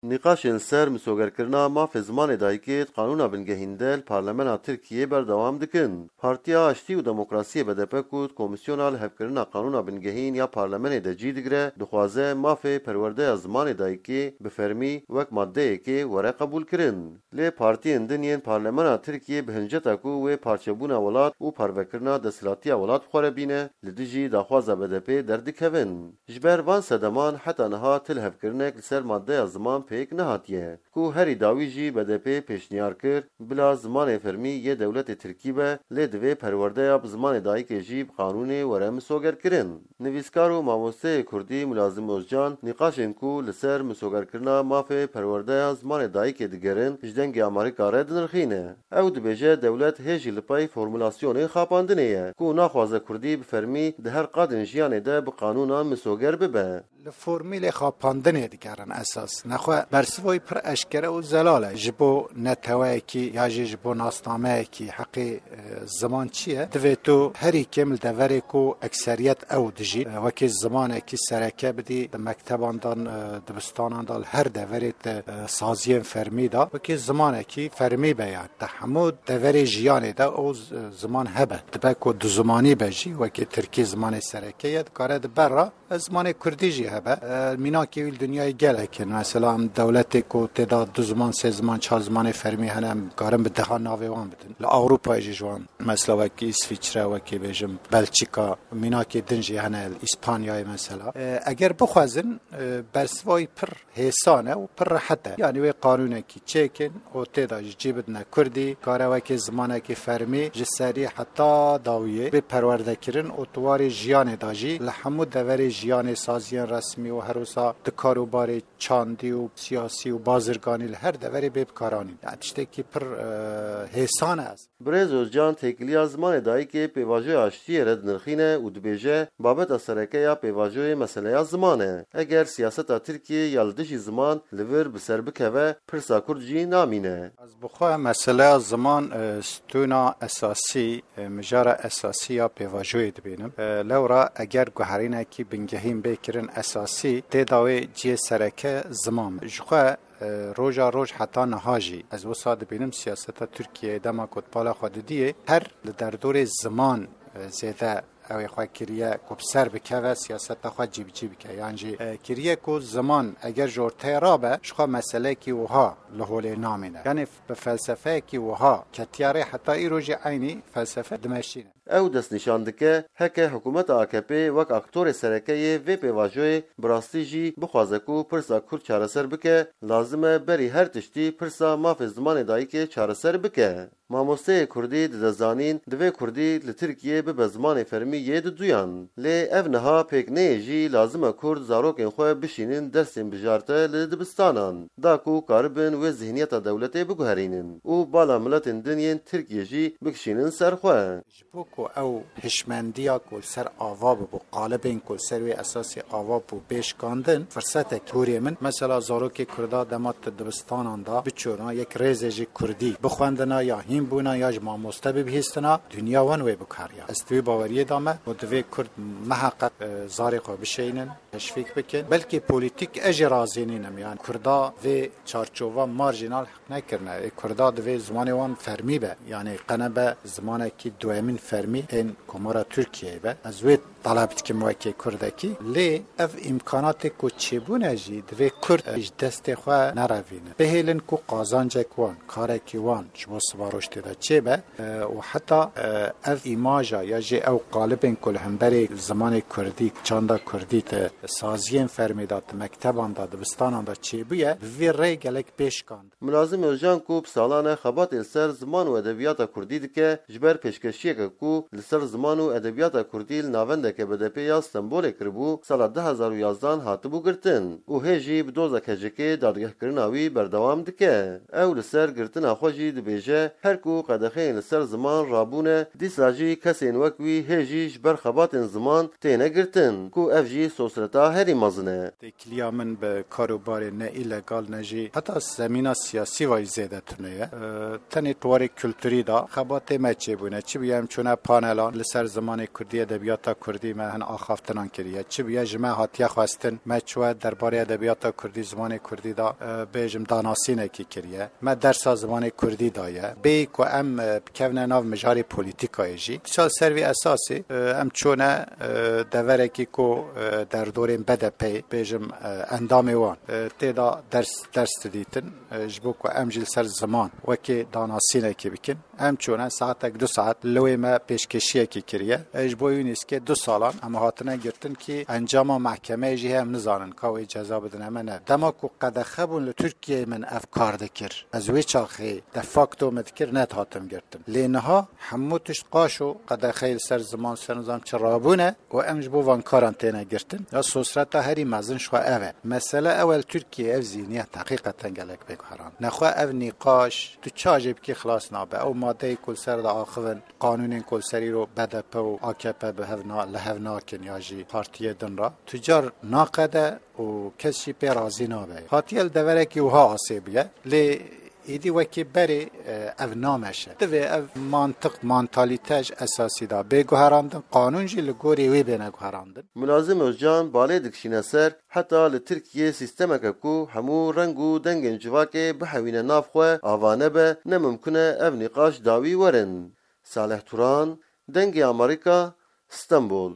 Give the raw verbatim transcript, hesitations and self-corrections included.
Nîqaşên li ser misogerkirina mafê zimanê dayikê di Qanûna Bingehîn de li Parlemena Tirkiyê berdewam dikin. Partiya Aştî û Demokrasiyê B D P ku di Komîsyona Lihevkirina Qanûna Bingehîn ya Parlemenê de cî digire, dixwaze mafê perwerdeya zimanê dayikê bi fermî wek maddeyekê were qebûlkirin. Lê partiyên din yên Parlemena Tirkiyê bi hinceta ku wê parçebûna welat û parvekirina desthilatiya welat bi xwe re bîne, li dijî daxwaza B D P derdikevin. Ji ber van sedeman heta niha ti lihevkirinek li ser maddeya ziman pêk nehatiye, ku herî dawî jî B D P pêşniyar kir, bila zimanê fermî yê dewletê tirkî be, lê divê perwerdeya bi zimanê dayikê jî bi qanûnê were misogerkirin. Nivîskar û mamosteyê kurdî Mulazim Ozcan nîqaşên ku li ser misogerkirina mafê perwerdeya zimanê dayikê digerin, ji Dengê Amerîka re dinirxîne. Ew dibêje dewlet hê jî li pey formulasyonê xapandinê ye, ku naxwaze kurdî bi fermî di her qadên jiyanê de bi qanûnan misoger bibe. Li formîlê xapandinê digerin esas. Nexwe bersivoyî pir eşkere û zelal e. Ji bo neteweyekî ya jî ji bo nasnameyekî heqê, e, ziman çi ye? Divê tu herî kêm li deverê ku ekseriyet ew dijî, e, wekî zimanekî sereke bidî, di mekteban de, e, dibistanan de, li her deverê te, e, saziyên fermî de, wekî zimanekî fermî be ya. Di hemû deverê jiyanê de ew z-, ziman hebe. Dibe ku du zimanî be jî, wekî tirkî zimanê sereke ye, dikare di ber re, e, zimanê kurdî jî hebe. E, mînakê wî li dinyayê gelek in. Mesela em dewletê ku tê de du ziman, sê ziman, çar zimanê fermî hene, em karin bi dehan navê wan bidin. Li Ewropayê jî ji wan, mesela wekî Îsvîçre, wekî bêjim Belçîka, mînakê din jî hene, li Îspanyayê mesela. E, eger bixwazin, e, bersiva wî pir hêsan e û pir rehet e. Yanî wê qanûnekî çêkin û tê de jî cî bidine kurdî, kare wekî zimanekî fermî ji serî heta dawiyê bê perwerdekirin û di warê jiyanê de jî li hemû deverê jiyanê, saziyên resmî û her wisa di karûbarê çandî û siyasî û bazirganî li her deverê bê bikaranîn. Yani tiştekî pir, e, hêsan e. Birêz Ozcan têkiliya zimanê dayikê pêvajoya aştiyê re dinirxîne û dibêje, babeta sereke ya pêvajoyê meseleya ziman e. Eger siyaseta Tirkiyê ya li dijî ziman li vir bi ser bikeve, pirsa Kurd jî namîne. Ez bi xwe meseleya ziman, e, stûna esasî, e, mijara esasî ya pêvajoyê dibînim. E, lewra eger guherînekî bingehîn bê kirin esasî, tê de wê cihê sereke ziman be. Ji xwe e, roja roj heta niha jî ez wisa dibînim siyaseta Tirkiyeyê dema ku di bala xwe didiyê, her li derdorê ziman, e, zêde ew ê xwe kiriye ku bi ser bikeve, siyaseta xwe cîbicî bike. Yan jî, e, kiriye ku ziman eger ji orteyê rabe, ji xwe meseleyekî wiha li holê namîne. Yanî f-, bi felsefeyekî wiha ketiya rê heta îro jî eynî felsefe dimeşîne. Ew destnîşan dike, heke hikûmeta A K P wek aktorê sereke yê vê pêvajoyê bi rastî jî bixwaze ku pirsa Kurd çareser bike, lazim e berî her tiştî pirsa mafê zimanê dayikê çareser bike. Mamosteyê kurdî dide zanîn, divê kurdî li Tirkiyê bibe zimanê fermî yê diduyan. Lê ev niha pêk neyê jî lazim e kurd zarokên xwe bişînin dersên bijarte li dibistanan, da ku karibin wê zihniyeta dewletê biguherînin û bala miletên din yên Tirkiyê jî bikişînin ser xwe. Ji bo ku ew hişmendiya ku li ser ava bibû, qalibên ku li ser wê esasî ava bû, bê şikandin, firsetek hûrê min. Mesela zarokê Kurda dema tu dibistanan de biçûna, yek rêzê ji Kurdî bixwendina, ya hîn bûna, ya ji mamoste bibihîstina, dinya wan wê bikariya. Ez di wî baweriyê de me û divê Kurd miheqeq, e, zarê xwe bişeynin, teşvîk bikin. Belkî polîtîk ez jî razî nînim. Yani Kurda vê çarçova marjînal nekirine. Ê Kurda divê zimanê wan fermî be. Yanî qe nebe zimanekî duyemîn fermî ên Komara Tirkiyeyê be. Ez wê taleb dikim wekî Kurdekî. Lê ev îmkanatê ku çêbûne jî divê Kurd ji destê xwe nerevînin. Bihêlin ku qazancek wan, karekî wan ji bo sibaroj tê de çêbe, e, û heta, e, ev îmaja ya jî ew qalibên ku li hemberê zimanê Kurdî, çanda Kurdî, di saziyên fermî de, di mekteban de, dibistanan de çêbûye, bi vî rê gelek bê şikand. Mulazim Özcan ku bi salan e xebatê li ser ziman û edebiyata kurdî dike, ji ber pêşkeşiyeke ku li ser ziman û edebiyata kurdî li navendeke B D P ya Stenbolê kiribû, sala du hezar û yazdan hatibû girtin û hê jî bi doza K C K'ê dadgehkirina wî berdewam dike. Ew li ser girtina xwe jî dibêje, her ku qedexeyên li ser ziman rabûne, dîsa jî kesên wek wî hê jî ji ber xebatên ziman têne girtin, ku ev jî sosreta herî mezin e. Têkiliya min bi karûbarê ne îlegal ne jî heta zemîna siyasî ve jî zêde tune ye. E, tenê di warê kulturî de xebatê me çêbûne. Çi bûye em çûne panelan li ser zimanê kurdî, edebiyata kurdî. Dî me hin axaftinan kiriye. Çi bûye ji me hatiye xwestin, me çûye derbarê edebiyata kurdî, zimanê kurdî de, e, bêjim danasînekî kiriye. Me dersa zimanê kurdî daye. Bêyî ku em, e, bikevine nav mijarê polîtîkayê jî. Dîsa ser vî esasî, e, em çûne, e, deverekî ku, e, derdorên B D P'yê, bêjim, e, endamê wan, e, tê de ders, ders didîtin, e, ji bo ku em jî li ser ziman wekî danasînekî bikin. Em çûne saetek du saet li wê me pêşkêşiyekî kiriye. E, ji bo Yûnîskê du salan em hatine girtin kî encama mehkemeyê jî heye em nizanin ka wê ceza bidine me ne. Dema ku qedexe bûn li Tirkiyeyê min ev kar dikir. Ez wê çaxê de facto me dikir, nedihatim girtin. Lê niha hemû tişt qaşo qedexeyê li ser ziman ser nizam çi rabûne û em ji bo van karan têne girtin. Ya sosreta herî mezin ji xwe ev e. Mesele ew e, li Tirkiyeyê ev zîhniyet heqîqeten gelek bê guherand. Nexwe ev nîqaş tu ça jê bikî xilas nabe. Ew madeyê ku li ser de axivin, qanûnên ku li ser îro B D P û A K P bi hev na-, li hev nakin ya jî partiyê din re. Tu car naqede û kes jî pê razî nabe. Hatiye li deverekî wiha asê bûye. Lê êdî wekî berê, e, ev nameşe. Divê ev mantiq, mantalîte ji esasî de bê guherandin, qanûn jî li gorî wê bêne guherandin. Mulazim Özcan balê dikişîne ser, heta li Tirkiyê sîstemeke ku hemû reng û dengên civakê bihewîne nav xwe ava nebe, ne mimkun e ev nîqaş dawî werin. Salih Turan, Dengê Amerîka, Stenbol.